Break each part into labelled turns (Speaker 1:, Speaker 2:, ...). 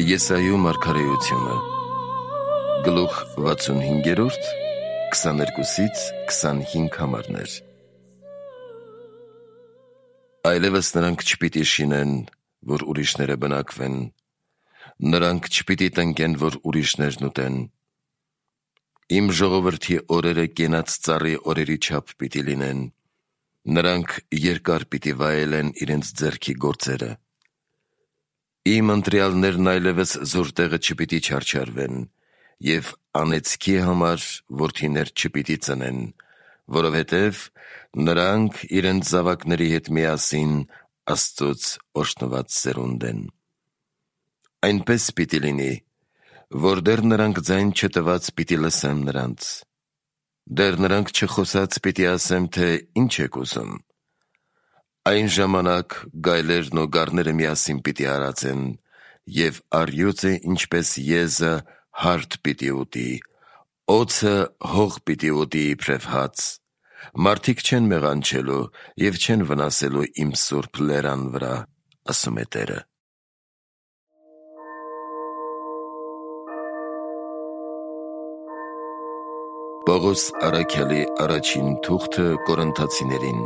Speaker 1: Եսայու մարգարեությունը գլուխ 65, 22-ից 25 համարներ։ Այլևս նրանք չպիտի շինեն, որ ուրիշները բնակվեն, նրանք չպիտի տնկեն, որ ուրիշներն ուտեն։ Իմ ժողովրդի օրերը կենաց ծառի օրերի չափ պիտի լինեն, նրանք երկար պիտի վայելեն իրենց ձեռքի գործերը։ Իմ ընտրյալներն այլևս զոր տեղը չպիտի չարչարվեն, և անեծքի համար որդիներ չպիտի ծնեն, որովհետև նրանք իրենց զավակների հետ միասին Աստծուց օրհնված սերունդ են։ Այնպես պիտի լինի, որ դեռ նրանք ձայն չտված պիտի լսեմ նրանց, դեռ նրանք չխոսած պիտի ասեմ, թե ինչ եք ուզում։ Այն ժամանակ գայլերն ու գառները միասին պիտի արածեն, և առյուծը ինչպես եզը հարթ պիտի ուտի, օձը հող պիտի ուտի իբրև հաց։ Մարդիկ չեն մեղանչելու և չեն վնասելու իմ սուրբ լերան վրա, ասում է Տերը։ Պողոս առաքյալի առաջին թուղթը Կորինթացիներին,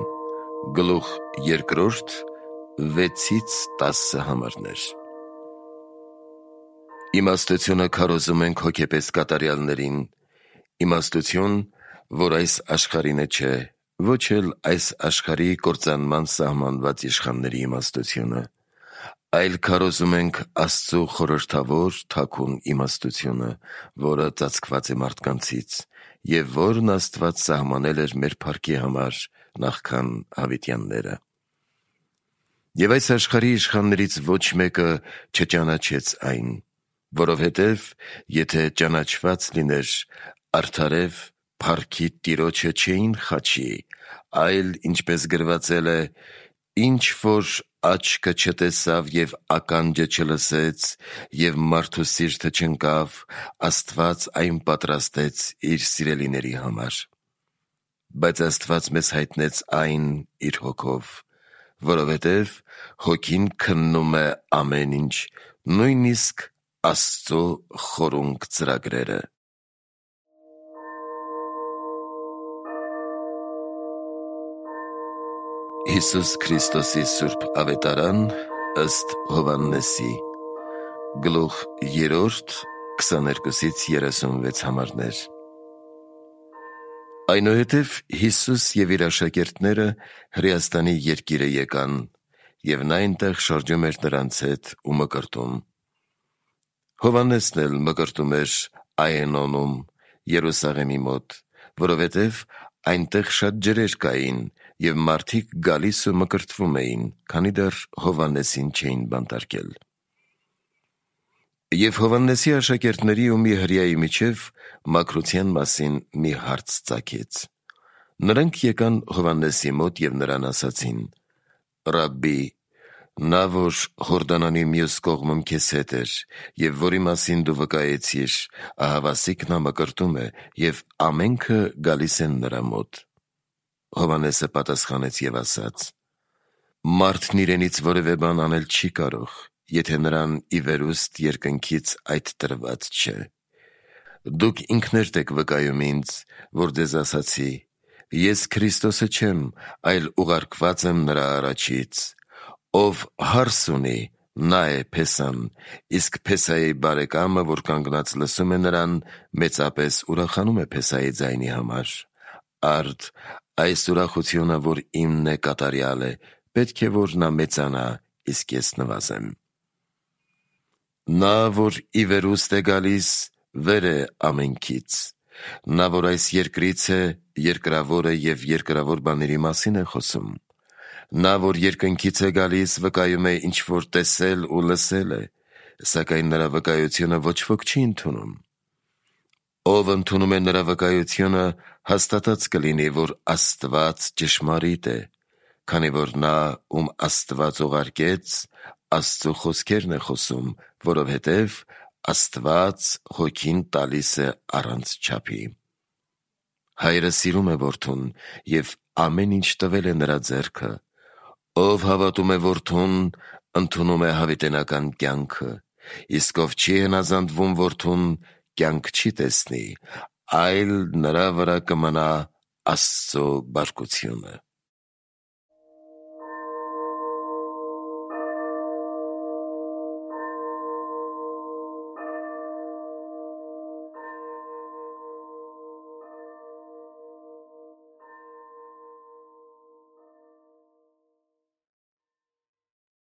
Speaker 1: գլուխ 2, 6-ից 10 համարներ։ Իմաստությունը քարոզում ենք հոգեպես կատարյալներին, իմաստություն, որ այս աշխարհինը չէ, ոչ էլ այս աշխարհի կործանման սահմանված իշխանների իմաստությունը, այլ քարոզում ենք Աստծու խորհրդավոր թաքուն իմաստությունը, որը ծածկված է մարդկանցից, և որն Աստված սահմանել էր մեր փառքի համար նախքան հավիտյանները։ Եվ այս աշխարհի իշխաններից ոչ մեկը չճանաչեց այն, որովհետև եթե ճանաչված լիներ, արդարև փառքի Տիրոջը չէին խաչի, այլ ինչպես գրվածել է. «Ինչ որ աչքը չտեսավ և ականջը չլսեց, և մարդու սիրտը չընկավ, Աստված այն պատրաստեց իր սիրելիների համար»։ Բայց Աստված մեզ հայտնեց այն իր Հոգով, որովհետև Հոգին քննում է ամեն ինչ, նույնիսկ Աստծու խորունկ ծրագրերը։ Հիսուս Քրիստոսի սուրբ ավետարան ըստ Հովհաննեսի, գլուխ 3, 22-ից 36 համարներ։ Այնուհետև Հիսուս և իր աշակերտները Հրեաստանի երկիրը եկան, և նա այնտեղ շրջում էր նրանց հետ ու մկրտում։ Հովհաննեսն էլ մկրտում էր Այենոնում, Երուսաղեմի մոտ, որովհետև այնտեղ շատ ջրեր կային, և մարդիկ գալիս ու մկրտվում էին, քանի դեռ Հովհաննեսին չէին բանտարկել։ Եվ Հովհաննեսի աշակերտների ու մի հրեայի միջև մաքրության մասին մի հարց ծագեց։ Նրանք եկան Հովհաննեսի մոտ և նրան ասացին. «Ռաբբի, նա, որ Հորդանանի մյուս կողմում քեզ հետ էր, և որի մասին դու վկայեցիր, ահավասիկ նա մկրտում է, և ամենքը գալիս են նրա մոտ»։ Հովհաննեսը պատասխանեց և ասաց. «Մարդն իրենից որևէ բան անել չի կարող, եթե նրան ի վերուստ երկնքից այդ տրված չէ։ Դուք ինքներդ եք վկայում ինձ, որ ձեզ ասացի. ես Քրիստոսը չեմ, այլ ուղարկված եմ նրա առաջից։ Ով հարս ունի, նա է Փեսան, իսկ Փեսայի բարեկամը, որ կանգնած լսում է նրան, մեծապես ուրախանում է Փեսայի ձայնի համար։ Արդ, այս ուրախությունը, որ իմն է, կատարյալ է, պետք է, որ նա մեծանա, իսկ ես նվազեմ։ Նա, որ ի վերուստ է գալիս, վեր է ամենքից։ Նա, որ այս երկրից է, երկրավորը և երկրավոր բաների մասին է խոսում։ Նա, որ երկնքից է գալիս, վկայում է, ինչ որ տեսել ու լսել է, սակայն նրա վկայությունը ոչ ոք չի ընդունում։ Ով ընդունում է նրա վկայությունը, հաստատած կլինի, որ Աստված ճշմարիտ է, քանի որ նա, ում Աստված ուղարկեց, Աստծու խոսքերն է խոսում, որովհետև Աստված Հոգին տալիս է առանց չափի։ Հայրը սիրում է որդուն և ամեն ինչ տվել է նրա ձեռքը։ Ով հավատում է որդուն, ընդունում է հավիտենական կյանքը իսկ ով չի հնազանդվում որդուն, կյանք չի տեսնի, այլ նրա վրա կմնա Աստծո բարկությունը։